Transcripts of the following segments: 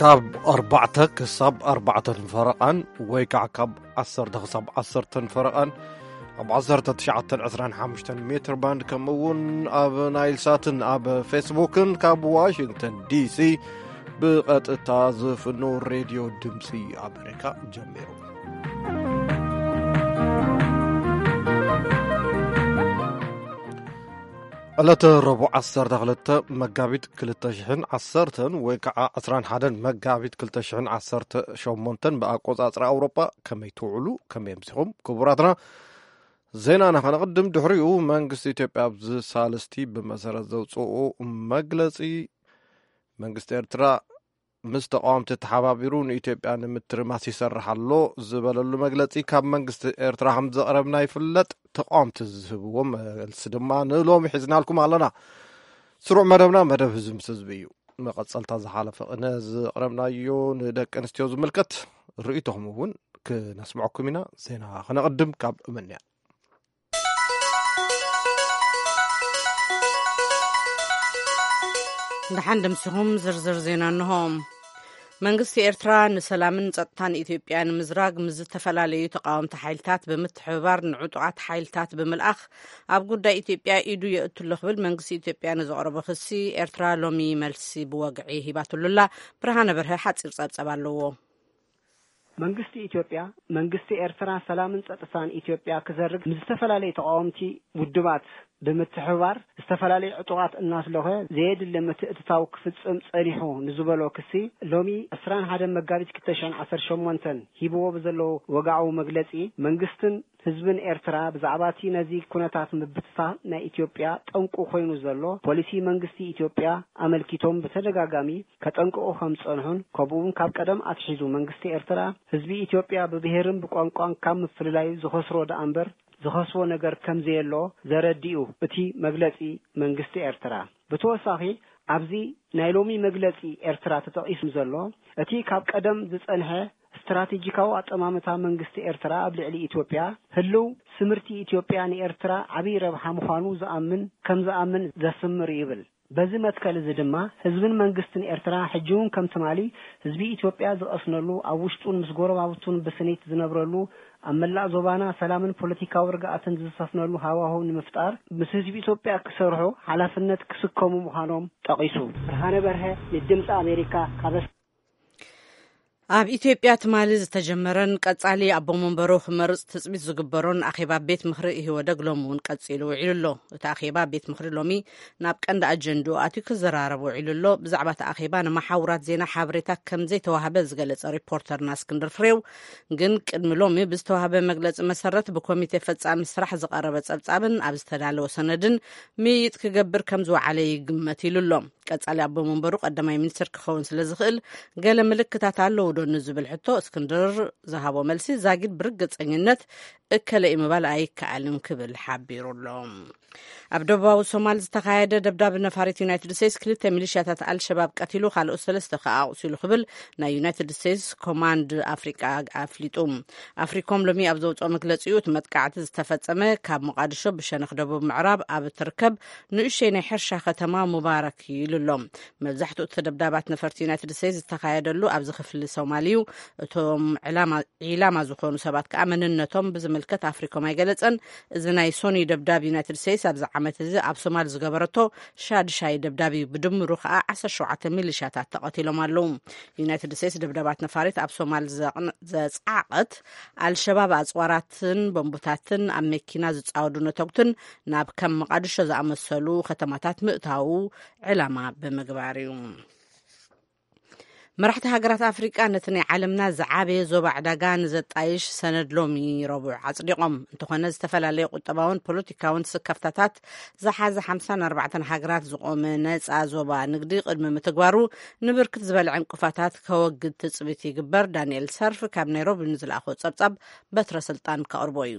ካብ ኣርባዕተ ክሳብ ኣርባዕተን ፈረቓን ወይ ከዓ ካብ ዓሰርተ ክሳብ ዓሰርተን ፈረቓን ኣብ ዓሰርተ ትሽዓተን ዕስራን ሓሙሽተን ሜትር ባንድ፣ ከምኡ እውን ኣብ ናይል ሳትን ኣብ ፌስቡክን ካብ ዋሽንግተን ዲሲ ብቐጥታ ዝፍኖ ሬድዮ ድምፂ ኣሜሪካ ጀሚሩ። ዕለተ ረቡዕ ዓሰርተ ክልተ መጋቢት ክልተ ሽሕን ዓሰርተን ወይ ከዓ ዕስራን ሓደን መጋቢት ክልተ ሽሕን ዓሰርተ ሸሞንተን ብኣቆጻጽራ ኣውሮጳ። ከመይ ትውዕሉ? ከመይ ኣምሲኹም? ክቡራትና፣ ዜናና ከነቕድም። ድሕሪኡ መንግስቲ ኢትዮጵያ ኣብዚ ሳልስቲ ብመሰረት ዘውፅኡ መግለፂ፣ መንግስቲ ኤርትራ ምስ ተቃወምቲ ተሓባቢሩ ንኢትዮጵያ ንምትርማስ ይሰርሕ ኣሎ ዝበለሉ መግለጺ፣ ካብ መንግስቲ ኤርትራ ከም ዘቕረብና ይፍለጥ። ተቃወምቲ ዝህብዎ መልሲ ድማ ንሎሚ ሒዝናልኩም ኣለና። ስሩዕ መደብና መደብ ህዝቢ ምስ ህዝቢ እዩ። መቐጸልታ ዝሓለፈ ቅነ ዝቕረብናዮ ንደቂ ኣንስትዮ ዝምልከት ርእይቶኹም እውን ክነስምዐኩም ኢና። ዜና ክነቕድም ካብ እመንያ። ደሓን ደምሲኹም። ዝርዝር ዜና እንሆ። መንግስቲ ኤርትራ ንሰላምን ጸጥታን ኢትዮጵያ ንምዝራግ ምስ ዝተፈላለዩ ተቃወምቲ ሓይልታት ብምትሕብባር ንዕጡቓት ሓይልታት ብምልኣኽ ኣብ ጉዳይ ኢትዮጵያ ኢዱ የእቱ ኣሎ ክብል መንግስቲ ኢትዮጵያ ንዘቕረቦ ክሲ ኤርትራ ሎሚ መልሲ ብወግዒ ሂባትሉላ። ብርሃነ በርሀ ሓጺር ጸብጸብ ኣለዎ። መንግስቲ ኢትዮጵያ፣ መንግስቲ ኤርትራ ሰላምን ጸጥታን ኢትዮጵያ ክዘርግ ምስ ዝተፈላለዩ ተቃወምቲ ውድባት ብምትሕብባር ዝተፈላለዩ ዕጡቓት እናስለኸ ዘየድሊ ምትእትታው ክፍጽም ጸኒሑ ንዝበሎ ክሲ፣ ሎሚ ዕስራን ሓደን መጋቢት ክልተ ሽሕን ዓሰርተ ሸሞንተን ሂብዎ ብዘለዎ ወግዓዊ መግለጺ፣ መንግስትን ህዝብን ኤርትራ ብዛዕባ እቲ ነዚ ኩነታት ምብትታን ናይ ኢትዮጵያ ጠንቁ ኮይኑ ዘሎ ፖሊሲ መንግስቲ ኢትዮጵያ ኣመልኪቶም ብተደጋጋሚ ከጠንቅቑ ከም ዝጸንሑን፣ ከምኡውን ካብ ቀደም ኣትሒዙ መንግስቲ ኤርትራ ህዝቢ ኢትዮጵያ ብብሄርን ብቋንቋን ካብ ምፍልላዩ ዝኸስሮ ደኣ እምበር ዝኸስቦ ነገር ከም ዘየሎ ዘረድእ እዩ እቲ መግለጺ መንግስቲ ኤርትራ። ብተወሳኺ፣ ኣብዚ ናይ ሎሚ መግለጺ ኤርትራ ተጠቒሱ ዘሎ፣ እቲ ካብ ቀደም ዝጸንሐ ስትራቴጂካዊ ኣጠማምታ መንግስቲ ኤርትራ ኣብ ልዕሊ ኢትዮጵያ፣ ህልው ስምርቲ ኢትዮጵያ ንኤርትራ ዓብዪ ረብሓ ምዃኑ ዝኣምን፣ ከም ዝኣምን ዘስምር እዩ ይብል። በዚ መትከል እዚ ድማ፣ ህዝብን መንግስትን ኤርትራ ሕጂ እውን ከም ትማሊ ህዝቢ ኢትዮጵያ ዝቐስነሉ፣ ኣብ ውሽጡን ምስ ጎረባብቱን ብስኒት ዝነብረሉ፣ ኣብ መላእ ዞባና ሰላምን ፖለቲካዊ ርግኣትን ዝሰፍነሉ ሃዋህው ንምፍጣር፣ ምስ ህዝቢ ኢትዮጵያ ክሰርሑ ሓላፍነት ክስከሙ ምዃኖም ጠቒሱ። ብርሃነ በርሀ፣ ንድምፂ ኣሜሪካ፣ ካብ ኣብ ኢትዮጵያ ትማሊ ዝተጀመረን ቀጻሊ ኣቦ መንበሩ ክመርጽ ትጽቢት ዝግበሮን ኣኼባ ቤት ምኽሪ ኢህወደግ ሎሚ እውን ቀጺሉ ውዒሉ ኣሎ። እቲ ኣኼባ ቤት ምኽሪ ሎሚ ናብ ቀንዲ ኣጀንድኡ ኣትዩ ክዘራረብ ውዒሉ ኣሎ። ብዛዕባ እቲ ኣኼባ ንመሓውራት ዜና ሓበሬታ ከም ዘይተዋህበ ዝገለጸ ሪፖርተርና እስክንድር ፍሬው፣ ግን ቅድሚ ሎሚ ብዝተዋህበ መግለጺ መሰረት ብኮሚቴ ፈጻሚ ስራሕ ዝቐረበ ጸብጻብን ኣብ ዝተዳለወ ሰነድን ምይይጥ ክገብር ከም ዝወዓለ ይግመት ኢሉ ኣሎ። ቀጻሊ ኣቦ መንበሩ ቀዳማይ ሚኒስትር ክኸውን ስለ ዝኽእል ገለ ምልክታት ኣለዉ ዶ ንዝብል ሕቶ እስክንድር ዝሃቦ መልሲ ዛጊድ ብርግጸኝነት እከለ እዩ ምባል ኣይከኣልን ክብል ሓቢሩ ኣሎ። ኣብ ደቡባዊ ሶማል ዝተኻየደ ደብዳብ ነፋሪት ዩናይትድ ስቴትስ ክልተ ሚሊሽያታት ኣልሸባብ ቀቲሉ ካልኦት ሰለስተ ከኣ ኣቑሲሉ ክብል ናይ ዩናይትድ ስቴትስ ኮማንድ ኣፍሪቃ ኣፍሊጡ። ኣፍሪኮም ሎሚ ኣብ ዘውፅኦ መግለፂኡ እቲ መጥቃዕቲ ዝተፈጸመ ካብ ሞቃዲሾ ብሸነኽ ደቡብ ምዕራብ ኣብ እትርከብ ንእሽተይ ናይ ሕርሻ ከተማ ሙባረክ እዩ ኢሉ ኣሎ። መብዛሕትኡ እቲ ደብዳባት ነፈርቲ ዩናይትድ ስቴትስ ዝተኻየደሉ ኣብዚ ክፍሊ ሶማል እዩ። እቶም ዕላማ ዒላማ ዝኾኑ ሰባት ከኣ መንነቶም ብዝምልከት ኣፍሪኮም ኣይገለጸን። እዚ ናይ ሶኒ ደብዳብ ዩናይትድ ስቴትስ ኣብዚ ዓመት እዚ ኣብ ሶማል ዝገበረቶ ሻድሻይ ደብዳብ እዩ። ብድምሩ ከኣ ዓሰርተ ሸውዓተ ሚሊሻታት ተቐቲሎም ኣለዉ። ዩናይትድ ስቴትስ ደብዳባት ነፋሪት ኣብ ሶማል ዘቕን-፣ ዘጽዓቐት ኣልሸባብ ኣጽዋራትን ቦምቡታትን ኣብ መኪና ዝጻወዱ ነተጉትን ናብ ከም መቓድሾ ዝኣመሰሉ ከተማታት ምእታዉ ዕላማ ብምግባር እዩ። መራሕቲ ሃገራት ኣፍሪቃ ነቲ ናይ ዓለምና ዝዓበየ ዞባ ዕዳጋ ንዘጣይሽ ሰነድ ሎሚ ረቡዕ ኣጽዲቖም። እንተኾነ፣ ዝተፈላለየ ቁጠባውን ፖለቲካውን ስከፍታታት ዝሓዘ ሓምሳን ኣርባዕተን ሃገራት ዝቖመ ነጻ ዞባ ንግዲ ቅድሚ ምትግባሩ ንብርክት ዝበለ ዕንቅፋታት ከወግድ ትጽቢት ይግበር። ዳንኤል ሰርፍ ካብ ናይሮቢ ንዝለኣኾ ጸብጻብ በትረ ስልጣን ከቕርቦ እዩ።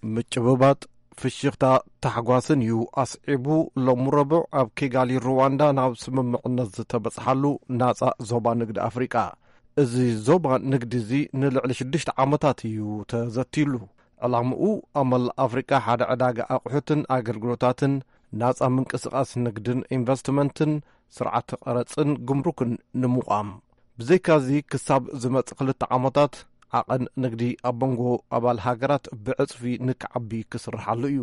ምጭብባጥ፣ ፍሽኽታ፣ ታሕጓስን እዩ ኣስዒቡ። ሎሚ ረቡዕ ኣብ ኪጋሊ ሩዋንዳ ናብ ስምምዕነት ዝተበጽሓሉ ናጻ ዞባ ንግዲ ኣፍሪቃ። እዚ ዞባ ንግዲ እዚ ንልዕሊ ሽዱሽተ ዓመታት እዩ ተዘትዩሉ። ዕላምኡ ኣብ መላእ ኣፍሪቃ ሓደ ዕዳጋ ኣቑሑትን ኣገልግሎታትን፣ ናጻ ምንቅስቓስ ንግድን ኢንቨስትመንትን፣ ስርዓት ቀረጽን ጉምሩክን ንምቋም። ብዘይካዚ ክሳብ ዝመጽእ ክልተ ዓመታት ዓቐን ንግዲ ኣብ መንጎ ኣባል ሃገራት ብዕጽፊ ንክዓቢ ክስርሓሉ እዩ።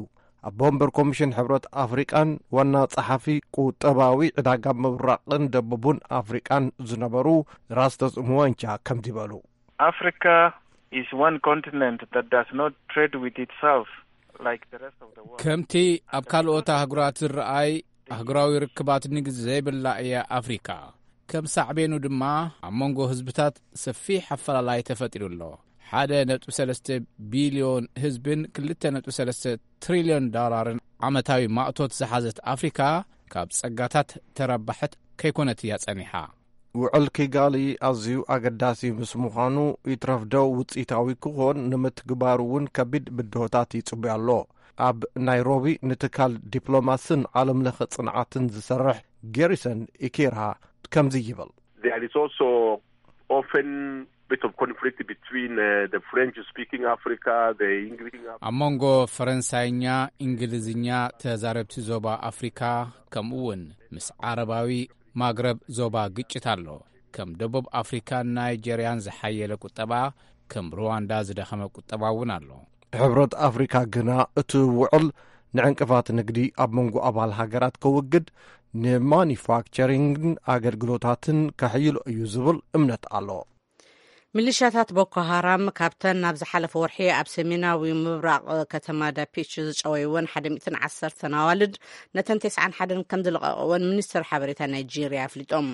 ኣቦ ወንበር ኮሚሽን ሕብረት ኣፍሪቃን ዋና ጸሓፊ ቁጠባዊ ዕዳጋ ምብራቕን ደቡብን ኣፍሪቃን ዝነበሩ ራስተስ ሙወንቻ ከምዚ በሉ። Africa is one continent that does not trade with itself like the rest of the world. ከምቲ ኣብ ካልኦት ኣህጉራት ዝረኣይ ኣህጉራዊ ርክባት ንግዲ ዘይብላ እያ ኣፍሪካ። ከም ሳዕቤኑ ድማ ኣብ መንጎ ህዝብታት ሰፊሕ ኣፈላላይ ተፈጢሩ ኣሎ። ሓደ ነጥቢ ሰለስተ ቢልዮን ህዝብን ክልተ ነጥቢ ሰለስተ ትሪልዮን ዶላርን ዓመታዊ ማእቶት ዝሓዘት ኣፍሪካ ካብ ጸጋታት ተረባሕት ከይኮነት እያ ጸኒሓ። ውዕል ኪጋሊ ኣዝዩ ኣገዳሲ ምስ ምዃኑ ይትረፍዶ ውጽኢታዊ ክኾን ንምትግባሩ እውን ከቢድ ብድሆታት ይጽበዮ ኣሎ። ኣብ ናይሮቢ ንትካል ዲፕሎማስን ዓለም ለኸ ጽንዓትን ዝሰርሕ ጌሪሰን ኢኪራ ከምዚ ይብል። There is also often bit of conflict between uh, the French speaking Africa, the English speaking Africa. ኣብ መንጎ ፈረንሳይኛ፣ እንግሊዝኛ ተዛረብቲ ዞባ ኣፍሪካ ከምኡ እውን ምስ ዓረባዊ ማግረብ ዞባ ግጭት ኣሎ። ከም ደቡብ ኣፍሪካን ናይጀርያን ዝሓየለ ቁጠባ፣ ከም ሩዋንዳ ዝደኸመ ቁጠባ እውን ኣሎ። ሕብረት ኣፍሪካ ግና እቲ ውዕል ንዕንቅፋት ንግዲ ኣብ መንጎ ኣባል ሃገራት ከውግድ፣ ንማኒፋክቸሪንግን ኣገልግሎታትን ከሕይሎ እዩ ዝብል እምነት ኣሎ። ሚሊሻታት ቦኮ ሃራም ካብተን ናብ ዝሓለፈ ወርሒ ኣብ ሰሜናዊ ምብራቕ ከተማ ዳፒች ዝጨወይወን ሓደ ሚእትን ዓሰርተን ኣዋልድ፣ ነተን ተስዓን ሓደን ከም ዝለቐቕወን ሚኒስትር ሓበሬታ ናይጄርያ ኣፍሊጦም።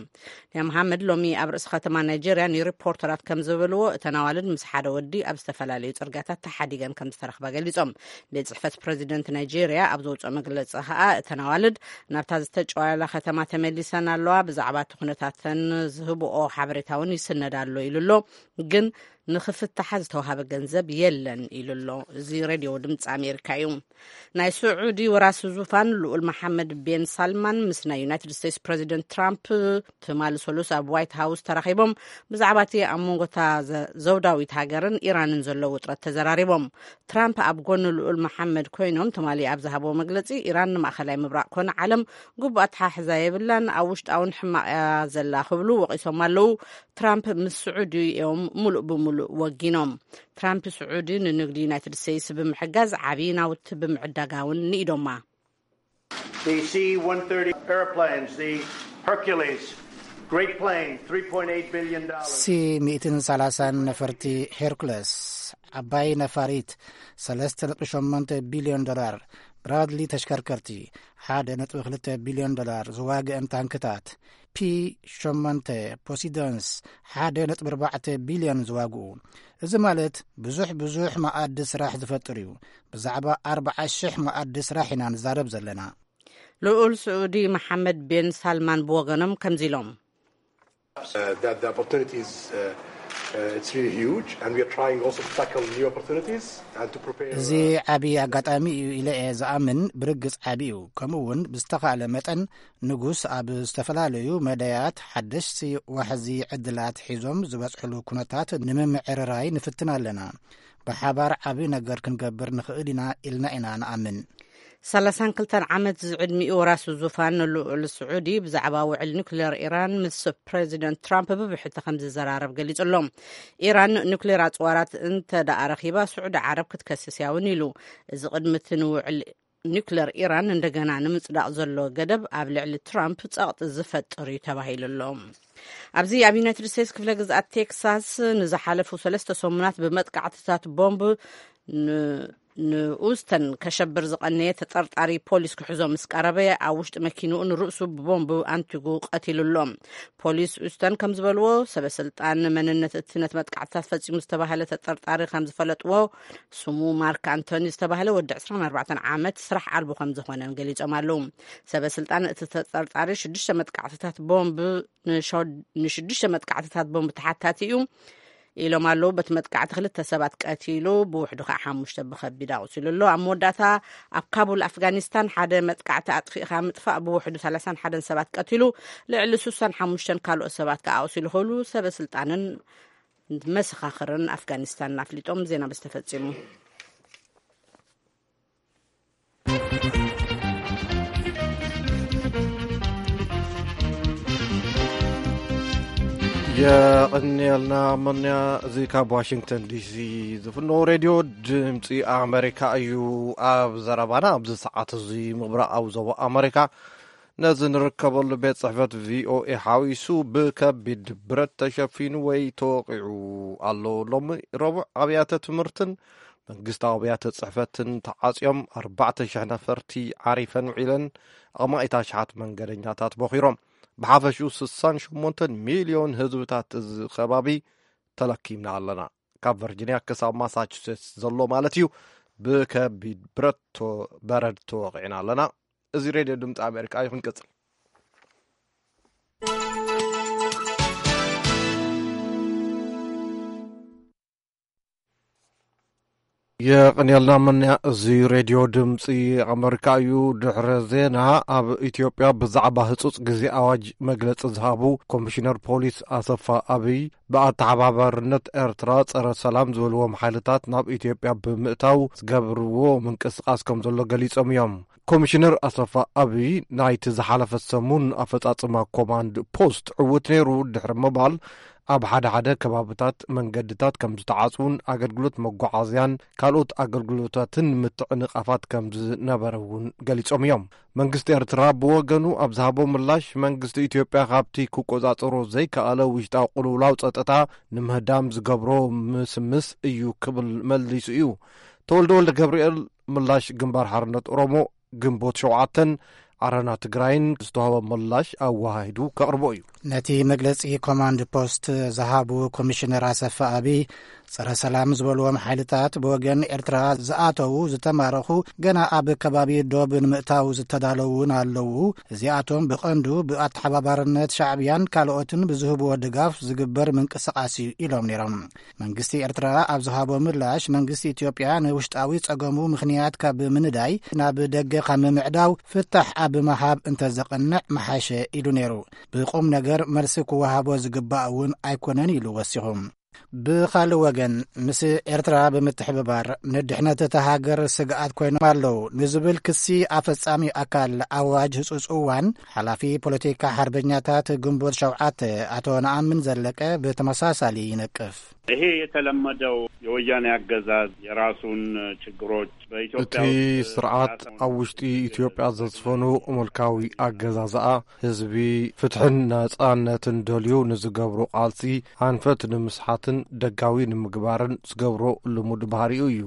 ኒያ መሓመድ ሎሚ ኣብ ርእሲ ከተማ ናይጄርያ ንሪፖርተራት ከም ዝበልዎ፣ እተን ኣዋልድ ምስ ሓደ ወዲ ኣብ ዝተፈላለዩ ጽርግያታት ተሓዲገን ከም ዝተረኽባ ገሊጾም። ቤት ጽሕፈት ፕረዚደንት ናይጄርያ ኣብ ዘውፅኦ መግለጺ ከኣ፣ እተን ኣዋልድ ናብታ ዝተጨዋላ ከተማ ተመሊሰን ኣለዋ። ብዛዕባ እቲ ኩነታተን ዝህብኦ ሓበሬታ እውን ይስነድ ኣሎ ኢሉ ኣሎ። ግን ንኽፍትሓ ዝተዋሃበ ገንዘብ የለን ኢሉ ኣሎ። እዚ ሬድዮ ድምፂ ኣሜሪካ እዩ። ናይ ስዑዲ ወራሲ ዙፋን ልኡል መሓመድ ቤን ሳልማን ምስ ናይ ዩናይትድ ስቴትስ ፕረዚደንት ትራምፕ ትማሊ ሰሉስ ኣብ ዋይት ሃውስ ተራኺቦም፣ ብዛዕባ እቲ ኣብ መንጎታ ዘ-፣ ዘውዳዊት ሃገርን ኢራንን ዘሎ ውጥረት ተዘራሪቦም። ትራምፕ ኣብ ጎኒ ልኡል መሓመድ ኮይኖም ትማሊ ኣብ ዝሃብዎ መግለጺ፣ ኢራን ንማእኸላይ ምብራቕ ኮነ ዓለም ግቡእ ኣተሓሕዛ የብላን፣ ኣብ ውሽጣውን ሕማቕ እያ ዘላ ክብሉ ወቒሶም ኣለዉ። ትራምፕ ምስ ስዑዲ እዮም ሙሉእ ብሙሉእ ወጊኖም። ትራምፕ ስዑዲ ንንግዲ ዩናይትድ ስቴትስ ብምሕጋዝ ዓብዪ ናውቲ ብምዕዳጋ እውን ንኢዶማ። The C one thirty airplanes, the Hercules, great plane, three point eight billion dollars. ሲ ሚእትን ሰላሳን ነፈርቲ ሄርኩለስ፣ ዓባይ ነፋሪት፣ ሰለስተ ነጥቢ ሸሞንተ ቢልዮን ዶላር፣ ብራድሊ ተሽከርከርቲ፣ ሓደ ነጥቢ ክልተ ቢልዮን ዶላር፣ ዝዋግአን ታንክታት፣ ፒ ሸሞንተ ፖሲዶንስ፣ ሓደ ነጥቢ ኣርባዕተ ቢልዮን ዝዋግኡ። እዚ ማለት ብዙሕ ብዙሕ መኣዲ ስራሕ ዝፈጥር እዩ። ብዛዕባ ኣርባዓ ሽሕ መኣዲ ስራሕ ኢና ንዛረብ ዘለና። ልኡል ስዑዲ መሓመድ ቤን ሳልማን ብወገኖም ከምዚ ኢሎም። Uh, that the opportunity is, uh, uh, it's really huge, and we are trying also to tackle new opportunities and to prepare, እዚ uh, ዓብዪ ኣጋጣሚ እዩ ኢለ እየ ዝኣምን። ብርግጽ ዓብዪ እዩ። ከምኡ እውን ብዝተኻእለ መጠን ንጉስ ኣብ ዝተፈላለዩ መዳያት ሓደሽቲ ዋሕዚ ዕድላት ሒዞም ዝበጽሕሉ ኩነታት ንምምዕርራይ ንፍትን ኣለና። ብሓባር ዓብዪ ነገር ክንገብር ንኽእል ኢና ኢልና ኢና ንኣምን። ሰላሳን ክልተን ዓመት ዝዕድሚኡ ወራሲ ዙፋን ልኡል ስዑዲ ብዛዕባ ውዕል ኒኩሌር ኢራን ምስ ፕረዚደንት ትራምፕ ብብሕቲ ከም ዝዘራረብ ገሊጹ ኣሎ። ኢራን ኒኩሌር ኣጽዋራት እንተ ደኣ ረኺባ፣ ስዑዲ ዓረብ ክትከስስ እያ እውን ኢሉ። እዚ ቅድሚ እቲ ንውዕል ኒኩሌር ኢራን እንደገና ንምጽዳቕ ዘሎ ገደብ ኣብ ልዕሊ ትራምፕ ጸቕጢ ዝፈጥር እዩ ተባሂሉ ኣሎ። ኣብዚ ኣብ ዩናይትድ ስቴትስ ክፍለ ግዝኣት ቴክሳስ ንዝሓለፉ ሰለስተ ሰሙናት ብመጥቃዕትታት ቦምብ ን-፣ ንኡስተን ከሸብር ዝቐነየ ተጠርጣሪ ፖሊስ ክሕዞ ምስ ቀረበ፣ ኣብ ውሽጢ መኪንኡ ንርእሱ ብቦምብ ኣንቲጉ ቀቲሉ ኣሎ። ፖሊስ ኡስተን ከም ዝበልዎ፣ ሰበ ስልጣን መንነት እቲ ነቲ መጥቃዕትታት ፈጺሙ ዝተባህለ ተጠርጣሪ ከም ዝፈለጥዎ፣ ስሙ ማርክ ኣንቶኒ ዝተባህለ ወዲ ዕስራን ኣርባዕተን ዓመት ስራሕ ኣልቦ ከም ዝኾነን ገሊጾም ኣለዉ። ሰበ ስልጣን እቲ ተጠርጣሪ ሽዱሽተ መጥቃዕትታት ቦምብ ንሸ-፣ ንሽዱሽተ መጥቃዕትታት ቦምብ ተሓታቲ እዩ ኢሎም ኣለዉ። በቲ መጥቃዕቲ ክልተ ሰባት ቀቲሉ፣ ብውሕዱ ከዓ ሓሙሽተ ብኸቢድ ኣቑሲሉ ኣሎ። ኣብ መወዳእታ፣ ኣብ ካቡል ኣፍጋኒስታን ሓደ መጥቃዕቲ ኣጥፊእካ ምጥፋእ ብውሕዱ ሰላሳን ሓደን ሰባት ቀቲሉ፣ ልዕሊ ስሳን ሓሙሽተን ካልኦት ሰባት ከዓ ኣቑሲሉ ክብሉ ሰበ ስልጣንን መሰኻኽርን ኣፍጋኒስታን ኣፍሊጦም። ዜና በዚ ተፈጺሙ። የቐንየልና መንያ። እዚ ካብ ዋሽንግተን ዲሲ ዝፍኖ ሬድዮ ድምፂ ኣሜሪካ እዩ። ኣብ ዘረባና ኣብዚ ሰዓት እዚ ምብራቓዊ ዞባ ኣሜሪካ ነዚ ንርከበሉ ቤት ጽሕፈት ቪኦኤ ሓዊሱ ብከቢድ ብረት ተሸፊኑ ወይ ተወቒዑ ኣሎ። ሎሚ ረቡዕ ኣብያተ ትምህርትን መንግስታዊ ኣብያተ ጽሕፈትን ተዓጽዮም ኣርባዕተ ሽሕ ነፈርቲ ዓሪፈን ውዒለን ኣማኢት ኣሽሓት መንገደኛታት ቦኺሮም። ብሓፈሽኡ ስሳን ሸሞንተን ሚልዮን ህዝብታት እዚ ከባቢ ተለኪምና ኣለና። ካብ ቨርጂንያ ክሳብ ማሳቹሴትስ ዘሎ ማለት እዩ። ብከቢድ ብረት ቶ-፣ በረድ ተወቒዕና ኣለና። እዚ ሬድዮ ድምፂ ኣሜሪካ እዩ። ክንቅፅል። የቐንየልና መን እዚ ሬድዮ ድምፂ ኣመሪካ እዩ። ድሕረ ዜና ኣብ ኢትዮጵያ ብዛዕባ ህፁፅ ግዜ ኣዋጅ መግለፂ ዝሃቡ ኮሚሽነር ፖሊስ ኣሰፋ ኣብይ ብኣተሓባባርነት ኤርትራ ጸረ ሰላም ዝበልዎም ሓይልታት ናብ ኢትዮጵያ ብምእታው ዝገብርዎ ምንቅስቃስ ከም ዘሎ ገሊጾም እዮም። ኮሚሽነር ኣሰፋ ኣብይ ናይቲ ዝሓለፈ ሰሙን ኣፈጻጽማ ኮማንድ ፖስት ዕዉት ነይሩ ድሕሪ ምባል ኣብ ሓደ ሓደ ከባብታት መንገድታት ከም ዝተዓጽዉን ኣገልግሎት መጓዓዝያን ካልኦት ኣገልግሎታትን ምትዕንቓፋት ከም ዝነበረ እውን ገሊጾም እዮም። መንግስቲ ኤርትራ ብወገኑ ኣብ ዝሃቦ ምላሽ መንግስቲ ኢትዮጵያ ካብቲ ክቆጻጸሮ ዘይከኣለ ውሽጣዊ ቅልውላው ጸጥታ ንምህዳም ዝገብሮ ምስምስ እዩ ክብል መሊሱ እዩ። ተወልደ ወልደ ገብርኤል ምላሽ ግንባር ሓርነት ኦሮሞ ግንቦት ሸውዓተን ዓረና ትግራይን ዝተዋህቦ ምላሽ ኣወሃሂዱ ከቕርቦ እዩ። ነቲ መግለጺ ኮማንድ ፖስት ዝሃቡ ኮሚሽነር ኣሰፋ ኣብይ ጸረ ሰላም ዝበልዎም ሓይልታት ብወገን ኤርትራ ዝኣተዉ ዝተማረኹ ገና ኣብ ከባቢ ዶብ ንምእታው ዝተዳለዉ እውን ኣለዉ። እዚኣቶም ብቐንዱ ብኣተሓባባርነት ሻዕብያን ካልኦትን ብዝህብዎ ድጋፍ ዝግበር ምንቅስቃስ እዩ ኢሎም ነይሮም። መንግስቲ ኤርትራ ኣብ ዝሃቦ ምላሽ መንግስቲ ኢትዮጵያ ንውሽጣዊ ጸገሙ ምኽንያት ካብ ምንዳይ ናብ ደገ ካብ ምምዕዳው ፍታሕ ኣብ ምሃብ እንተዘቐንዕ ምሓሸ ኢሉ ነይሩ። ብቁም ነገር መልሲ ክወሃቦ ዝግባእ እውን ኣይኮነን ኢሉ ወሲኹ። ብኻልእ ወገን ምስ ኤርትራ ብምትሕብባር ንድሕነት እታ ሃገር ስግኣት ኮይኖም ኣለዉ ንዝብል ክሲ ኣፈጻሚ ኣካል ኣዋጅ ህጹጽ እዋን ሓላፊ ፖለቲካ ሓርበኛታት ግንቦት ሸውዓተ ኣቶ ነኣምን ዘለቀ ብተመሳሳሊ ይነቅፍ። ይሄ የተለመደው የወያኔ አገዛዝ የራሱን ችግሮች በኢትዮጵያ እቲ ውስጥ ስርዓት ራሱን ኣብ ውሽጢ ኢትዮጵያ ዘስፈኑ ምልካዊ ኣገዛዝኣ ህዝቢ ፍትሕን ነጻነትን ደልዩ ንዝገብሮ ቃልሲ ኣንፈት ንምስሓትን ደጋዊ ንምግባርን ዝገብሮ ልሙድ ባህሪኡ እዩ።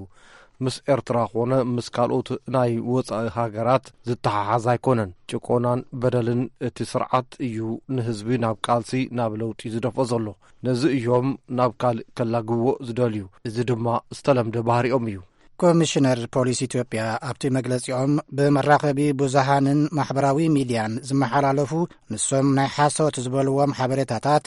ምስ ኤርትራ ኾነ ምስ ካልኦት ናይ ወጻኢ ሃገራት ዝተሓሓዝ ኣይኮነን። ጭቆናን በደልን እቲ ስርዓት እዩ ንህዝቢ ናብ ቃልሲ፣ ናብ ለውጢ ዝደፍኦ ዘሎ። ነዚ እዮም ናብ ካልእ ከላግብዎ ዝደልዩ። እዚ ድማ ዝተለምደ ባህሪኦም እዩ። ኮሚሽነር ፖሊስ ኢትዮጵያ ኣብቲ መግለጺኦም ብመራኸቢ ብዙሃንን ማሕበራዊ ሚድያን ዝመሓላለፉ ንሶም ናይ ሓሶት ዝበልዎም ሓበሬታታት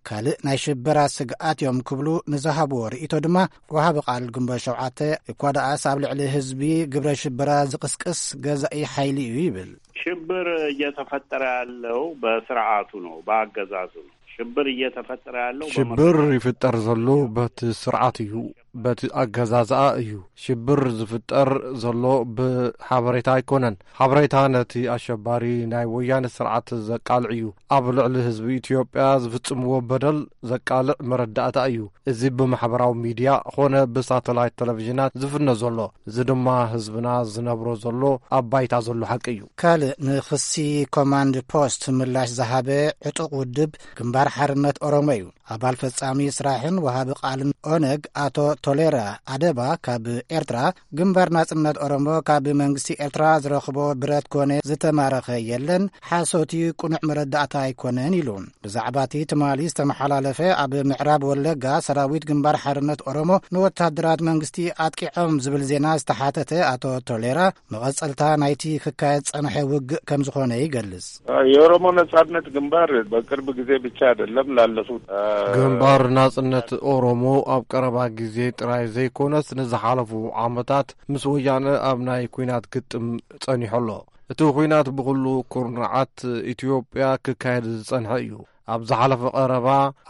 ካልእ ናይ ሽበራ ስግኣት እዮም ክብሉ ንዝሃብዎ ርእይቶ ድማ ወሃቢ ቃል ግንቦት ሸውዓተ እኳ ደኣስ ኣብ ልዕሊ ህዝቢ ግብረ ሽበራ ዝቕስቅስ ገዛኢ ሓይሊ እዩ ይብል። ሽብር እየተፈጠረ ያለው በስርዓቱ ነው፣ በአገዛዙ ነው። ሽብር እየተፈጠረ ያለው ሽብር በመርዳት ይፍጠር ዘሎ በቲ ስርዓት እዩ፣ በቲ ኣገዛዝኣ እዩ። ሽብር ዝፍጠር ዘሎ ብሓበሬታ ኣይኮነን። ሓበሬታ ነቲ ኣሸባሪ ናይ ወያነ ስርዓት ዘቃልዕ እዩ። ኣብ ልዕሊ ህዝቢ ኢትዮጵያ ዝፍጽምዎ በደል ዘቃልዕ መረዳእታ እዩ። እዚ ብማሕበራዊ ሚድያ ኾነ ብሳተላይት ቴሌቪዥናት ዝፍነ ዘሎ፣ እዚ ድማ ህዝብና ዝነብሮ ዘሎ ኣብ ባይታ ዘሎ ሓቂ እዩ። ካልእ ንኽሲ ኮማንድ ፖስት ምላሽ ዝሃበ ዕጡቕ ውድብ ግንባር ሓርነት ኦሮሞ እዩ። ኣባል ፈጻሚ ስራሕን ወሃቢ ቃልን ኦነግ ኣቶ ቶሌራ ኣደባ ካብ ኤርትራ፣ ግንባር ናጽነት ኦሮሞ ካብ መንግስቲ ኤርትራ ዝረኽቦ ብረት ኮነ ዝተማረኸ የለን፣ ሓሶት እዩ፣ ቅኑዕ መረዳእታ ኣይኮነን ኢሉ። ብዛዕባ እቲ ትማሊ ዝተመሓላለፈ ኣብ ምዕራብ ወለጋ ሰራዊት ግንባር ሓርነት ኦሮሞ ንወታደራት መንግስቲ ኣጥቂዖም ዝብል ዜና ዝተሓተተ ኣቶ ቶሌራ፣ መቐጸልታ ናይቲ ክካየድ ጸንሐ ውግእ ከም ዝኾነ ይገልጽ። የኦሮሞ ነጻነት ግንባር በቅርብ ጊዜ ብቻ አይደለም፣ ላለፉት፣ እ፣ ግንባር ናጽነት ኦሮሞ ኣብ ቀረባ ግዜ ጥራይ ዘይኮነስ ንዝሓለፉ ዓመታት ምስ ወያነ ኣብ ናይ ኲናት ግጥም ጸኒሑ ኣሎ። እቲ ኲናት ብኹሉ ኩርናዓት ኢትዮጵያ ክካየድ ዝጸንሐ እዩ። ኣብ ዝሓለፈ ቀረባ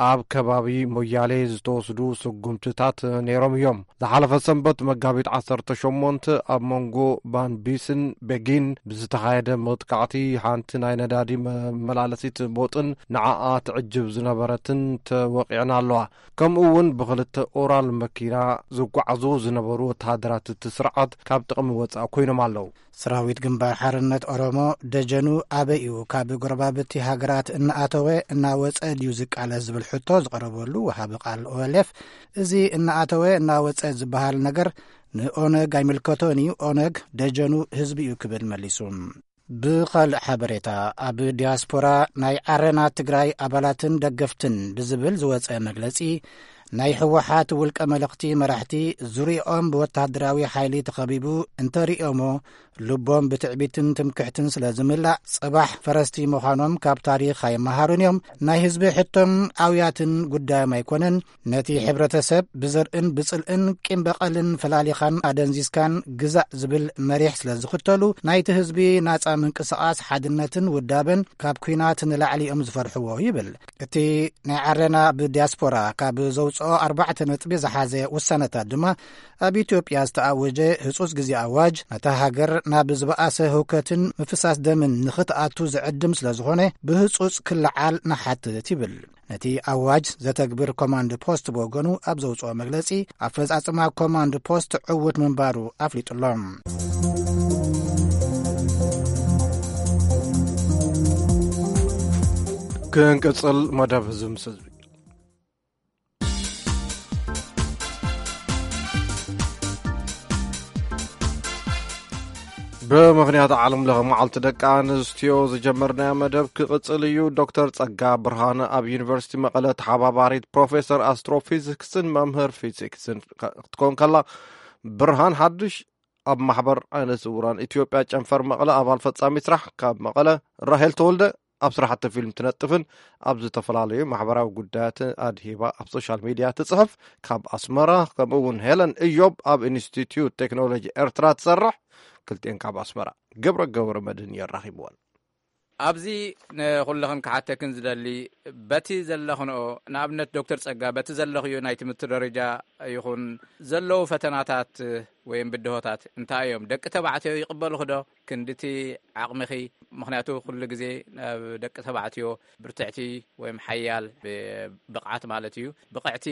ኣብ ከባቢ ሞያሌ ዝተወስዱ ስጉምትታት ነይሮም እዮም። ዝሓለፈ ሰንበት መጋቢት ዓሰርተ ሸሞንተ ኣብ መንጎ ባንቢስን ቤጊን ብዝተኻየደ መጥቃዕቲ ሓንቲ ናይ ነዳዲ መመላለሲት ቦጥን ንዓኣ ትዕጅብ ዝነበረትን ተወቒዕና ኣለዋ። ከምኡ እውን ብኽልተ ኦራል መኪና ዝጓዓዙ ዝነበሩ ወተሃደራት እቲ ስርዓት ካብ ጥቕሚ ወጻኢ ኮይኖም ኣለዉ። ሰራዊት ግንባር ሓርነት ኦሮሞ ደጀኑ ኣበይ እዩ ካብ ጎረባብቲ ሃገራት እናኣተወ እናወጸ ድዩ ዝቃለስ ዝብል ሕቶ ዝቐረበሉ ወሃቢ ቃል ኦኤልኤፍ፣ እዚ እናኣተወ እናወጸ ዝበሃል ነገር ንኦነግ ኣይምልከቶን እዩ፣ ኦነግ ደጀኑ ህዝቢ እዩ ክብል መሊሱ። ብኻልእ ሓበሬታ፣ ኣብ ዲያስፖራ ናይ ዓረና ትግራይ ኣባላትን ደገፍትን ብዝብል ዝወጸ መግለጺ፣ ናይ ህወሓት ውልቀ መለኽቲ መራሕቲ ዙሪኦም ብወታደራዊ ሓይሊ ተኸቢቡ እንተርእዮሞ፣ ልቦም ብትዕቢትን ትምክሕትን ስለ ዝምላእ፣ ጽባሕ ፈረስቲ ምዃኖም ካብ ታሪኽ ኣይመሃሩን እዮም። ናይ ህዝቢ ሕቶን ኣውያትን ጉዳዮም ኣይኮነን። ነቲ ሕብረተሰብ ብዘርእን ብጽልእን ቂም በቐልን ፈላሊኻን ኣደንዚዝካን ግዛእ ዝብል መሪሕ ስለ ዝኽተሉ፣ ናይቲ ህዝቢ ናጻ ምንቅስቓስ ሓድነትን ውዳበን ካብ ኲናት ንላዕሊ እዮም ዝፈርሕዎ ይብል። እቲ ናይ ዓረና ብዲያስፖራ ካብ ዘውጽኦ ኣርባዕተ ነጥቢ ዝሓዘ ውሳነታት ድማ፣ ኣብ ኢትዮጵያ ዝተኣወጀ ህጹጽ ግዜ ኣዋጅ ነታ ሃገር ናብ ዝበኣሰ ህውከትን ምፍሳስ ደምን ንኽትኣቱ ዝዕድም ስለ ዝኾነ፣ ብህጹጽ ክለዓል ንሓትት ይብል። ነቲ ኣዋጅ ዘተግብር ኮማንድ ፖስት ብወገኑ ኣብ ዘውጽኦ መግለጺ፣ ኣፈጻጽማ ኮማንድ ፖስት ዕዉት ምንባሩ ኣፍሊጡሎ። ክንቅጽል መደብ እዚ ምስ ህዝቢ። ብምኽንያት ዓለም ለኸ መዓልቲ ደቂ ኣንስትዮ ዝጀመርናዮ መደብ ክቕጽል እዩ። ዶክተር ጸጋ ብርሃን ኣብ ዩኒቨርሲቲ መቐለ ተሓባባሪት ፕሮፌሰር ኣስትሮፊዚክስን መምህር ፊዚክስን ክትኮን ከላ፣ ብርሃን ሓድሽ ኣብ ማሕበር ዓይነ ስውራን ኢትዮጵያ ጨንፈር መቐለ ኣባል ፈጻሚ ስራሕ፣ ካብ መቐለ ራሄል ተወልደ ኣብ ስራሕቲ ፊልም ትነጥፍን ኣብ ዝተፈላለዩ ማሕበራዊ ጉዳያት ኣድሂባ ኣብ ሶሻል ሚድያ ትጽሕፍ፣ ካብ ኣስመራ፣ ከምኡ እውን ሄለን እዮብ ኣብ ኢንስቲትዩት ቴክኖሎጂ ኤርትራ ትሰርሕ፣ ክልቲኤን ካብ ኣስመራ። ገብረ ገብረ መድህን እዩ ኣራኺብወን። ኣብዚ ንኹልኽን ክሓተክን ዝደሊ፣ በቲ ዘለኽንኦ፣ ንኣብነት ዶክተር ጸጋ፣ በቲ ዘለኽዮ ናይ ትምህርቲ ደረጃ ይኹን ዘለዉ ፈተናታት ወይም ብድሆታት እንታይ እዮም? ደቂ ተባዕትዮ ይቕበሉኺ ዶ? ክንድቲ ዓቕምኺ፣ ምኽንያቱ ኩሉ ግዜ ኣብ ደቂ ተባዕትዮ ብርትዕቲ ወይም ሓያል ብ-፣ ብቕዓት ማለት እዩ፣ ብቕዕቲ፣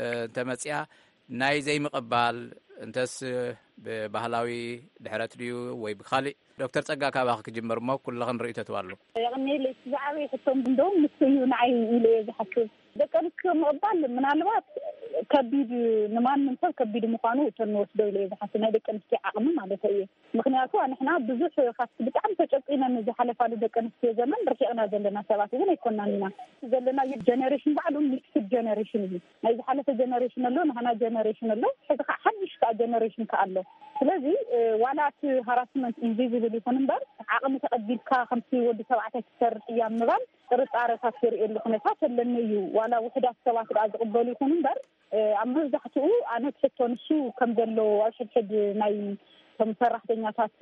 እ፣ እንተመጽያ ናይ ዘይምቕባል እንተስ ብባህላዊ ድሕረት ድዩ ወይ ብኻሊእ? ዶክተር ጸጋ፣ ካባኺ ክጅምር እሞ ኩልኽን ርእይቶ ትባሉ። የቐንየለይ። እቲ ዝዓበየ ሕቶም እንደውም ንሱ እዩ ንዓይ ኢለ እየ ዝሓስብ። ደቂ ኣንስትዮ ምቕባል ምናልባት ከቢድ፣ ንማንም ሰብ ከቢድ ምዃኑ እተን ንወስዶ ኢለ እየ ዝሓስብ፣ ናይ ደቂ ኣንስትዮ ዓቕሚ ማለት እየ። ምኽንያቱ ንሕና ብዙሕ ካብቲ ብጣዕሚ ተጨቂነን ዝሓለፋሉ ደቂ ኣንስትዮ ዘመን ርሒቕና ዘለና ሰባት እውን ኣይኮናን ኢና። ዘለናዮ ጀነሬሽን ባዕሉ ሚክስድ ጀነሬሽን እዩ። ናይ ዝሓለፈ ጀነሬሽን ኣሎ፣ ናህና ጀነሬሽን ኣሎ፣ ሕዚ ከዓ ሓድሽ ከዓ ጀነሬሽን ከዓ ኣሎ። ስለዚ፣ እ፣ ዋላ እቲ ሃራስመንት ኢንቪዚብል ይኹን እምበር፣ ዓቕሚ ተቐቢልካ ከምቲ ወዲ ተባዕታይ ትሰርሕ እያ ምባል ጥርጣረታት ዘርእየሉ ኩነታት ኣለኒ እዩ። ዋላ ውሑዳት ሰባት ደኣ ዝቕበሉ ይኹን እምበር፣ እ፣ ኣብ መብዛሕትኡ ኣነ ትሕቶ ንሱ ከም ዘሎ ኣብ ሕድሕድ ናይ እቶም ሰራሕተኛታት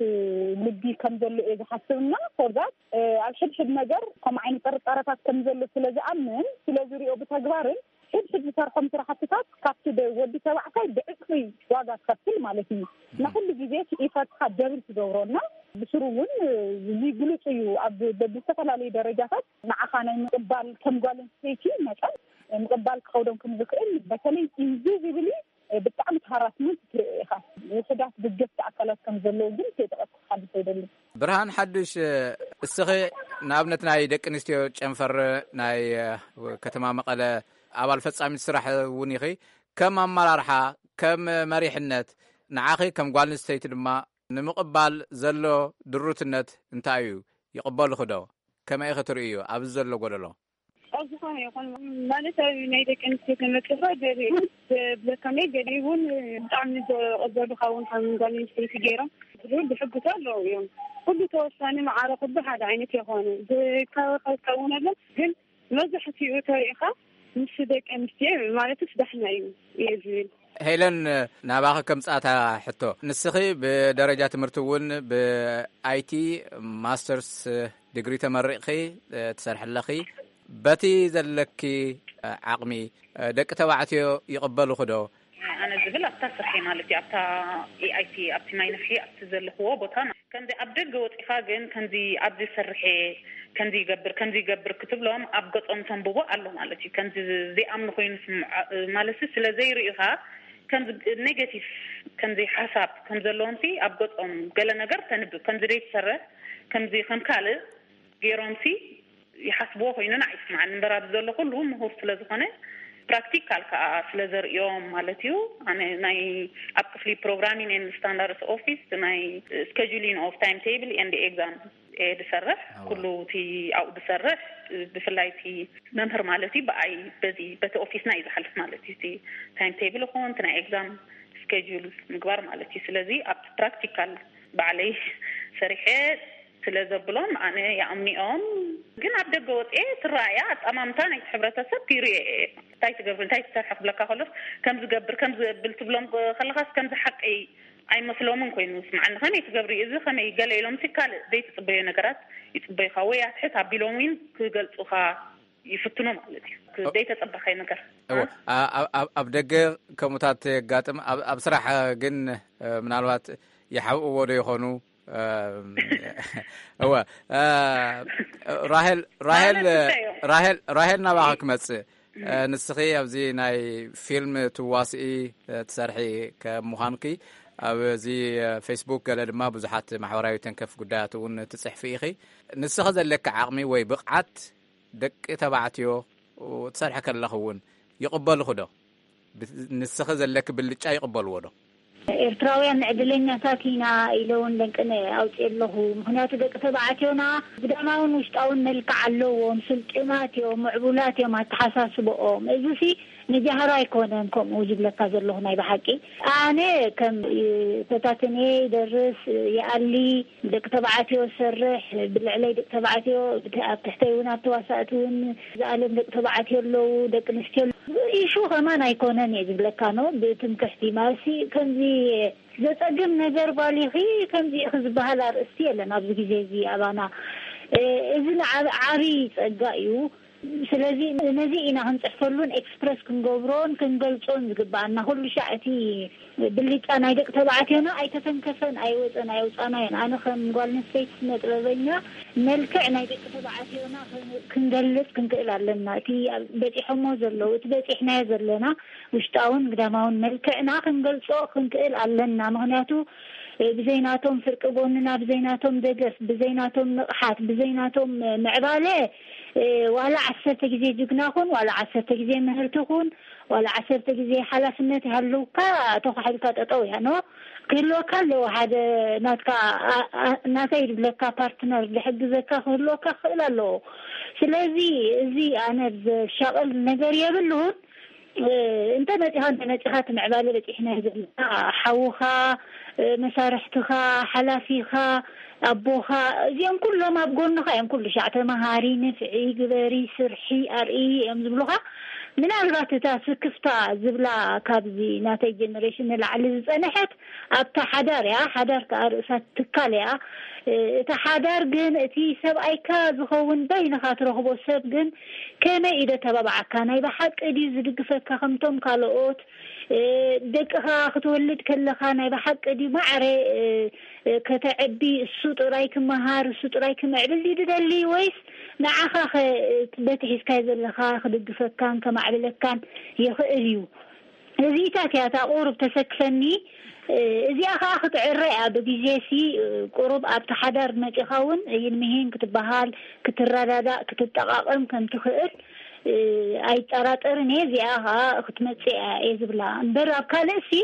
ልቢ ከም ዘሎ እየ ዝሓስብ እና ፎርዛት፣ እ፣ ኣብ ሕድሕድ ነገር ከምኡ ዓይነት ጥርጣረታት ከም ዘሎ ስለ ዝኣምን፣ ስለ ዝሪኦ ብተግባርን ሕድሕድ ዝሰርሖም ስራሕትታት ካብቲ ደ-፣ ወዲ ተባዕታይ ብዕፅፊ ዋጋ ትኸፍል ማለት እዩ። እና ኩሉ ግዜ እቲ ኢፈርትካ ደብል ትገብሮ እና ብስሩ እውን፣ እ፣ እዚ ግሉፅ እዩ። ኣብ በብዝተፈላለዩ ደረጃታት ንዓኻ ናይ ምቕባል ከም ጓል ኣንስተይቲ መጠን ምቕባል ክኸብዶም ከም ዝኽእል፣ በተለይ ኢንቪዚብሊ ብጣዕሚ ሃራስመንት ትርኢ ኢኻ። ውሑዳት ደገፍቲ ኣካላት ከም ዘለዉ ግን ከይጠቐስኩ ክሓልፍ ኣይደልን። ብርሃን ሓዱሽ፣ እስኺ ንኣብነት ናይ ደቂ ኣንስትዮ ጨንፈር ናይ ከተማ መቐለ ኣባል ፈጻሚት ስራሕ እውን ኢኺ። ከም ኣመራርሓ፣ ከም መሪሕነት፣ ንዓኺ ከም ጓል ኣንስተይቲ ድማ ንምቕባል ዘሎ ድሩትነት እንታይ እዩ? ይቕበሉኺ ዶ? ከመይ ኢኺ ትርእይዮ ኣብዚ ዘሎ ጎደሎ? ኣብ ዝኾነ ይኹን ማለት ኣብ ናይ ደቂ ኣንስትዮ ተመክሮ ገሊኡ ብለከመይ ገሊኡ እውን ብጣዕሚ ዘቐበሉኻ እውን ከም ጓል ኣንስተይቲ ገይሮም ብሕጉስ ኣለዉ እዮም። ኩሉ ተወሳኒ ማዕረ ኩሉ ሓደ ዓይነት የኾነ ዝካወካከ እውን ኣሎ። ግን መብዛሕትኡ ተሪኢኻ ምስ ደቂ ኣንስትዮ ማለትስ ዳሕና እዩ እየ ዝብል። ሄለን፣ ናባኺ ከምጻእታ ሕቶ፣ ንስኺ ብደረጃ ትምህርቲ እውን ብኣይቲ ማስተርስ ዲግሪ ተመሪቕኺ ትሰርሒ ኣለኺ። በቲ ዘለኪ ዓቕሚ ደቂ ተባዕትዮ ይቕበልኹ ዶ? ኣነ ዝብል ኣብታ ስርሐ ማለት እዩ ኣብታ ኤኣይቲ ኣብቲ ማይ ነፍሒ ኣብቲ ዘለኽዎ ቦታ ከምዚ ኣብ ደገ ወፂኻ ግን ከምዚ ኣብዚ ሰርሐ ከምዚ ይገብር ከምዚ ይገብር ክትብሎም ኣብ ገፆም ተንብቦ ኣሎ ማለት እዩ። ከምዚ ዘይኣምኑ ኮይኑ ማለት ስለ ዘይርእዩኻ ከምዚ ኔጋቲቭ ከምዚ ሓሳብ ከም ዘለዎም ሲ ኣብ ገፆም ገለ ነገር ተንብብ ከምዚ ደይትሰርሕ ከምዚ ከም ካልእ ገይሮም ሲ ይሓስብዎ ኮይኑ ንዓይ ይስምዓኒ እምበር ኣብዚ ዘሎ ኩሉ ምሁር ስለ ዝኾነ ፕራክቲካል ከዓ ስለ ዘርእዮም ማለት እዩ። ኣነ ናይ ኣብ ክፍሊ ፕሮግራሚንግ ኤንድ ስታንዳርድስ ኦፊስ ናይ ስኬጁሊንግ ኦፍ ታይም ቴብል ኤንድ ኤግዛም እየ ዝሰርሕ። ኩሉ እቲ ኣብኡ ዝሰርሕ ብፍላይ እቲ መምህር ማለት እዩ ብኣይ በዚ በቲ ኦፊስና እዩ ዝሓልፍ ማለት እዩ። እቲ ታይም ቴብል ይኹን እቲ ናይ ኤግዛም ስኬጁል ምግባር ማለት እዩ። ስለዚ ኣብቲ ፕራክቲካል ባዕለይ ሰሪሐ ስለ ዘብሎም ኣነ ይኣምንኦም። ግን ኣብ ደገ ወፅኤ ትረኣያ ኣጠማምታ ናይቲ ሕብረተሰብ ይርኦ እየ። እንታይ ትገብሪ እንታይ ትሰርሒ ክብለካ ከሎስ ከም ዝገብር ከም ዝብል ትብሎም ከለኻስ ከምዚ ሓቂ ኣይመስሎምን ኮይኑ ስምዓኒ። ከመይ ትገብሪ እዚ ከመይ ገለ ኢሎም ሲ ካልእ ዘይትፅበዮ ነገራት ይፅበዩኻ ወይ ኣትሕት ኣቢሎም እውን ክገልፁኻ ይፍትኑ ማለት እዩ። ዘይተፀበኻይ ነገር ኣብ ደገ ከምኡታት የጋጥም። ኣብ ስራሕ ግን ምናልባት ይሓብእዎ ዶ ይኾኑ? እወ ራሄል ራሄል ራሄል ራሄል ናባኻ ክመጽእ። ንስኺ ኣብዚ ናይ ፊልም ትዋስኢ ትሰርሒ ከም ምዃንኪ ኣብዚ ፌስቡክ ገለ ድማ ብዙሓት ማሕበራዊ ተንከፍ ጉዳያት እውን ትጽሕፊ ኢኺ። ንስኺ ዘለኪ ዓቕሚ ወይ ብቕዓት ደቂ ተባዕትዮ ትሰርሒ ከለኺ እውን ይቕበልኹ ዶ? ንስኺ ዘለኪ ብልጫ ይቕበልዎ ዶ? ኤርትራውያን ዕድለኛታት ኢና ኢለ እውን ደንቅነ ኣውፅእ ኣለኹ። ምክንያቱ ደቂ ተባዕትዮና ግዳማውን ውሽጣውን መልክዕ ኣለዎም፣ ስልጡናት እዮም፣ ምዕቡላት እዮም ኣተሓሳስበኦም። እዚ ሲ ንጃህራ ኣይኮነን ከምኡ ዝብለካ ዘለኹ ናይ ብሓቂ። ኣነ ከም ተታትኔ ይደርስ፣ ይኣሊ፣ ደቂ ተባዕትዮ ዝሰርሕ፣ ብልዕለይ ደቂ ተባዕትዮ፣ ኣብ ትሕተይ እውን ኣብ ተዋሳእቲ እውን ዝኣለም ደቂ ተባዕትዮ ኣለዉ፣ ደቂ ኣንስትዮ ኣለዉ። ኢሹ ከማን ኣይኮነን እየ ዝብለካ ኖ፣ ብትምክሕቲ ማለትሲ ከምዚ ዘጸግም ነገር ጓሊኺ ከምዚ ኢኺ ዝበሃል ኣርእስቲ የለን ኣብዚ ግዜ እዚ ኣባና። እዚ ንዓብ ዓብዪ ጸጋ እዩ። ስለዚ ነዚ ኢና ክንፅሕፈሉን ኤክስፕረስ ክንገብሮን ክንገልፆን ዝግበኣና። ኩሉ ሻዕ እቲ ብልጫ ናይ ደቂ ተባዕትዮና ኣይተተንከፈን፣ ኣይወፀን፣ ኣይውፃናዮን። ኣነ ከም ጓል ኣንስተይቲ ስነ ጥበበኛ መልክዕ ናይ ደቂ ተባዕትዮና ክንገልፅ ክንክእል ኣለና። እቲ በፂሖሞ ዘለዉ፣ እቲ በፂሕናዮ ዘለና ውሽጣውን ግዳማውን መልክዕና ክንገልፆ ክንክእል ኣለና። ምክንያቱ ብዘይናቶም ፍርቂ ጎንና፣ ብዘይናቶም ደገፍ፣ ብዘይናቶም ንቕሓት፣ ብዘይናቶም ምዕባለ ዋላ ዓሰርተ ግዜ ጅግና ኩን፣ ዋላ ዓሰርተ ግዜ ምህርቲ ኩን፣ ዋላ ዓሰርተ ግዜ ሓላፍነት ይሃልውካ፣ ተኳሒልካ ጠጠው እያ ኖ። ክህልወካ ኣለዎ ሓደ ናትካ ናተይ ዝብለካ ፓርትነር ዝሕግዘካ ክህልወካ ክኽእል ኣለዎ። ስለዚ እዚ ኣነ ዘሻቕል ነገር የብሉን። እንተ መፂኻ እንተ መፂኻ እቲ ምዕባለ በፂሕና ዘለና ሓውኻ፣ መሳርሕትኻ፣ ሓላፊኻ፣ ኣቦኻ፣ እዚኦም ኩሎም ኣብ ጎንኻ እዮም። ኩሉ ሻዕ ተመሃሪ፣ ንፍዒ፣ ግበሪ፣ ስርሒ፣ ኣርኢ እዮም ዝብሉኻ። ምናልባት እታ ስክፍታ ዝብላ ካብዚ ናተይ ጀነሬሽን ንላዕሊ ዝፀንሐት ኣብታ ሓዳር እያ። ሓዳር ከዓ ርእሳ ትካል እያ። እታ ሓዳር ግን እቲ ሰብኣይካ ዝኸውን በይንኻ ትረኽቦ ሰብ ግን ከመይ እዩ ደተባብዓካ? ናይ ብሓቂ ድዩ ዝድግፈካ ከምቶም ካልኦት? ደቅኻ ክትወልድ ከለኻ ናይ ብሓቂ ድዩ ማዕረ ከተዕቢ እሱ ጥራይ ክመሃር እሱ ጥራይ ክምዕብል ድዩ ትደሊ ወይስ ንዓኻ በቲ ሒዝካዮ ዘለኻ ክድግፈካን ከማዕብለካን ይኽእል እዩ? እዚኢታት እያ እታ ቁሩብ ተሰክፈኒ። እዚኣ ከኣ ክትዕረ እያ ብግዜ ሲ ቁሩብ ኣብቲ ሓዳር መጺኻ እውን ይን ምሂን ክትበሃል ክትረዳዳእ ክትጠቓቐም ከም ትኽእል ኣይጠራጠርን እየ። እዚኣ ከኣ ክትመጽእ እያ እየ ዝብላ እምበር ኣብ ካልእ ሲ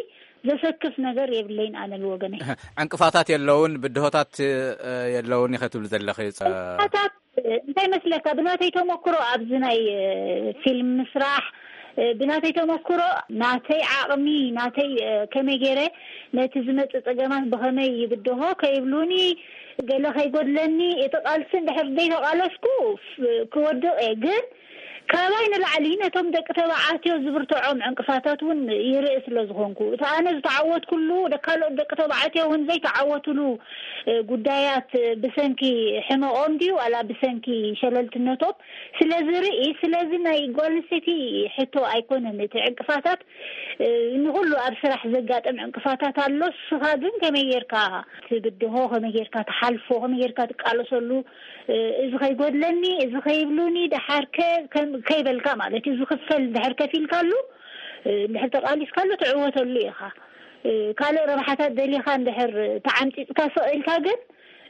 ዘሰክፍ ነገር የብለይን ኣነ ብወገነይ። ዕንቅፋታት የለውን ብድሆታት የለውን ኢኸ ትብሊ ዘለኺ? ዕንቅፋታት እንታይ መስለካ ብናተይ ተመክሮ ኣብዚ ናይ ፊልም ምስራሕ ብናተይ ተመክሮ ናተይ ዓቕሚ ናተይ ከመይ ገይረ ነቲ ዝመፅእ ፀገማት ብኸመይ ይብድሆ ከይብሉኒ ገለ ከይጎድለኒ እቲ ቃልሲ እንድሕር ዘይተቓለስኩ ክወድቕ እየ ግን ካባይ ንላዕሊ ነቶም ደቂ ተባዕትዮ ዝብርትዖም ዕንቅፋታት እውን ይርኢ ስለ ዝኾንኩ፣ እቲ ኣነ ዝተዓወትኩሉ፣ ካልኦት ደቂ ተባዕትዮ እውን ዘይተዓወትሉ፣ እ፣ ጉዳያት፣ እ፣ ብሰንኪ ሕመቖም ድዩ ዋላ ብሰንኪ ሸለልትነቶም ስለ ዝርኢ፣ ስለዚ ናይ ጓል ኣንስተይቲ ሕቶ ኣይኮነን እቲ ዕንቅፋታት፣ እ፣ ንኹሉ ኣብ ስራሕ ዘጋጥም ዕንቅፋታት ኣሎ። ንስኻ ግን ከመይ ጌርካ ትብድሆ፣ ከመይ ጌርካ ትሓልፎ፣ ከመይ ጌርካ ትቃለሰሉ፣ እ፣ እዚ ከይጎድለኒ፣ እዚ ከይብሉኒ፣ ደሓር ከ ከም-፣ ከይበልካ ማለት እዩ። ዝኽፈል እንድሕር ከፊልካሉ፣ እ፣ እንድሕር ተቃሊስካሉ ትዕወተሉ ኢኻ። እ፣ ካልእ ረብሓታት ደሊኻ እንድሕር ተዓምጺጽካ ስቕ ኢልካ ግን፣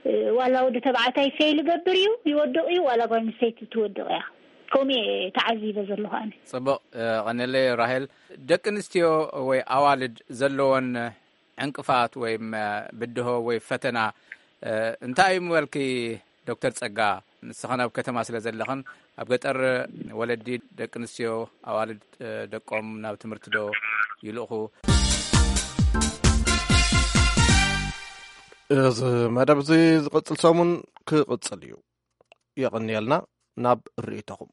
እ፣ ዋላ ወዲ ተባዕታይ ፌል ይገብር እዩ፣ ይወድቕ እዩ፣ ዋላ ጓል ኣንስተይቲ ትወድቕ እያ። ከምኡ እየ ተዓዚበ ዘለኹ ኣነ። ጽቡቕ፣ እ፣ ቀነለይ ራሄል። ደቂ ኣንስትዮ ወይ ኣዋልድ ዘለወን ዕንቅፋት ወይ፣ እ፣ ብድሆ ወይ ፈተና፣ እ፣ እንታይ እዩ ምበልኪ ዶክተር ጸጋ? ንስኽን ኣብ ከተማ ስለ ዘለኽን፣ ኣብ ገጠር ወለዲ ደቂ ኣንስትዮ ኣዋልድ፣ እ፣ ደቆም ናብ ትምህርቲ ዶ ይልእኹ? እዚ መደብ እዚ ዝቕጽል ሰሙን ክቕጽል እዩ። የቐንየልና። ናብ ርእይቶኹም።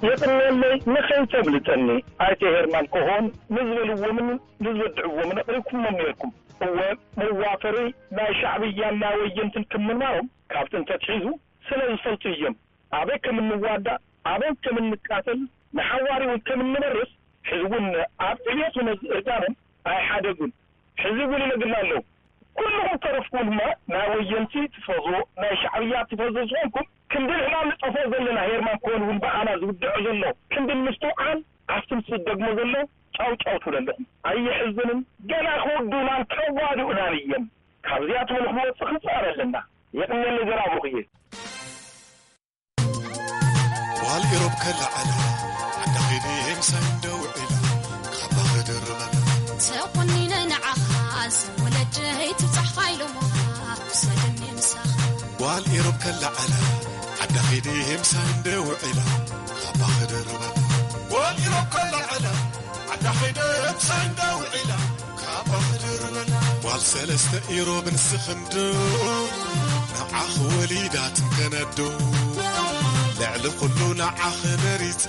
የቕንየለይ ንኸይተብልጠኒ ኣይተ ሄርማን ኮሆን ንዝበልዎምን ንዝወድዕዎምን ኣቕሪብኩሞም ነይርኩም። እወ፣ መዋፈሪ ናይ ሻዕብያን ናይ ወየንትን ክም ምንባሮም ካብ ጥንቲ ኣትሒዙ ስለ ዝፈልጡ እዮም። ኣበይ ከም እንዋዳእ፣ ኣበይ ከም እንቃተል፣ ንሓዋሪ እውን ከም እንመርስ፣ ሕዚ እውን ኣብ ዕብየት እውን እርጋኖም ኣይሓደጉን። ሕዚ እውን ይነግርና ኣለዉ። ኩልኹም ተረፍኩም ድማ ናይ ወየንቲ ትፈዝዎ፣ ናይ ሻዕብያ ትፈዝዎ ዝኾንኩም፣ ክንዲ ንሕና ንጠፍኦ ዘለና ሄርማን ኮሆን እውን ብኣና ዝውድዖ ዘሎ ክንዲ ንምስትውዓል፣ ኣብቲ ምስ ዝደግሞ ዘሎ ጫው ጫው ትብሉ ኣለኹም። ኣየሕዝንን? ገና ክውድኡናን ከዋድኡናን እዮም። ካብዚኣትም ንክንወፅእ ክንፅዕር ኣለና። የቕንየለይ ዘርኣብሩኽየ። ጓል ኢሮብ ከለዓላ ዓዳ ኸይደ ምሳይ እንደ ውዒላ ካባ ክድርበላ። ተቆኒነ ንዓኻ ዝወለጀይ ትብጻሕኻ ኢሎሞኻ ክሰድኒ ምሳኻ። ጓል ኢሮብ ከለዓላ ዓዳ ኸይደ ምሳይ እንደ ውዒላ ካባ ክድርበላ። ጓል ኢሮብ ከለዓላ ዓዳ ኸይደ ምሳይ እንደ ውዒላ ጓል ሰለስተ ኢሮብ ንስኽንዶ ንዓኽ ወሊዳት ከነዶ ልዕሊ ኩሉ ንዓኽ መሪጽ።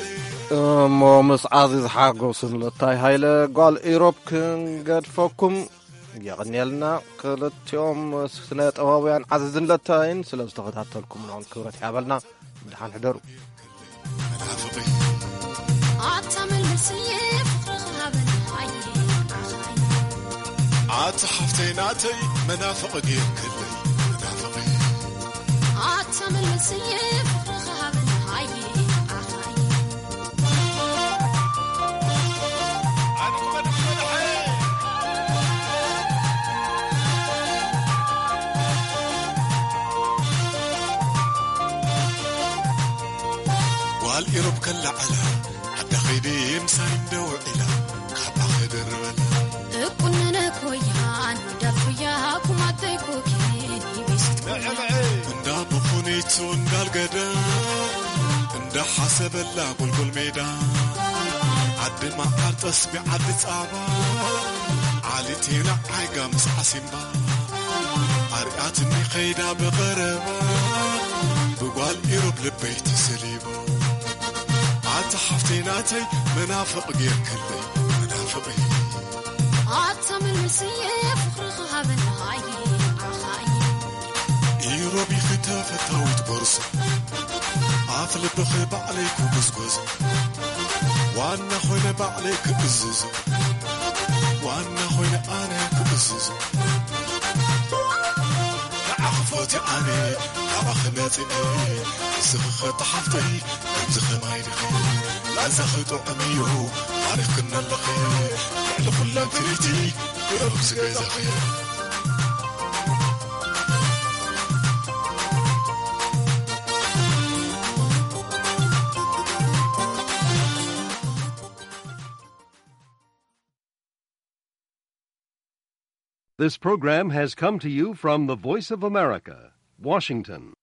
እሞ ምስ ዓዚዝ ሓጎስን ለታይ ሃይለ ጓል ኢሮብ ክንገድፈኩም የቕንየልና። ክልቲኦም ስነ ጥበባውያን ዓዚዝን ለታይን ስለ ዝተኸታተልኩምናውን ክብረት ይሃበልና። ብድሓን ሕደሩ። መናፍቒ ኣታ መልስየ ፍቕርኻ ሃበና ኣየ ኣኻይ። ኣታ ሓፍተይ ናተይ መናፍቕ ጌርክለይ መናፍቒ። ኣታ መልስየ ፍቕርኻ ሃበና ኣየ ኣኻይ። ጓል ኢሮብ ከለዓላ ዓዳ ኸይደ ምሳይ እንደ ውዒላ ካባ ክድርበላ። እቁነነ ኮያን ዳፉያ ኩማተይ ኮኬን ይቢስት ኮያ። እንዳ ብኹኒቱ እንዳልገደ እንዳ ሓሰበላ ጎልጎል ሜዳ ዓዲ መዓር ጠስቢ ዓዲ ጻባ ዓሊቴና ዓይጋ ምስ ዓሲምባ ኣርያትኒ ኸይዳ ብቐረባ ብጓል ኢሮብ ልበይ ተሰሊባ። ኣታ ሓፍተይ ናተይ መናፍቕ ጌርክለይ መናፍቐይ። ኣታ መልስየ ፍቕርኻ ሃበናይ ዓኻይ። ኢሮቢኺ ተፈታዊት ጎርዞ ኣፍ ልብኺ ባዕለይ ክጉዝጎዞ ዋና ኾይነ ባዕለይ ክእዝዞ ዋና ኾይነ ኣነ ክእዝዞ ንዓኺ ፎትየ ኣነ ካባኺ መጺኤ ንስኺ ኸኣ ሓፍተይ ከምዚ ኸማይ ዲኺ ላዛኺ ጥዑም እዩ ማሪኽክኒ ኣለኺ ልዕሊ ኹለን ፍልይቲ ብዕሩኽሲ ገዛኺ። This program has come to you from the Voice of America, Washington.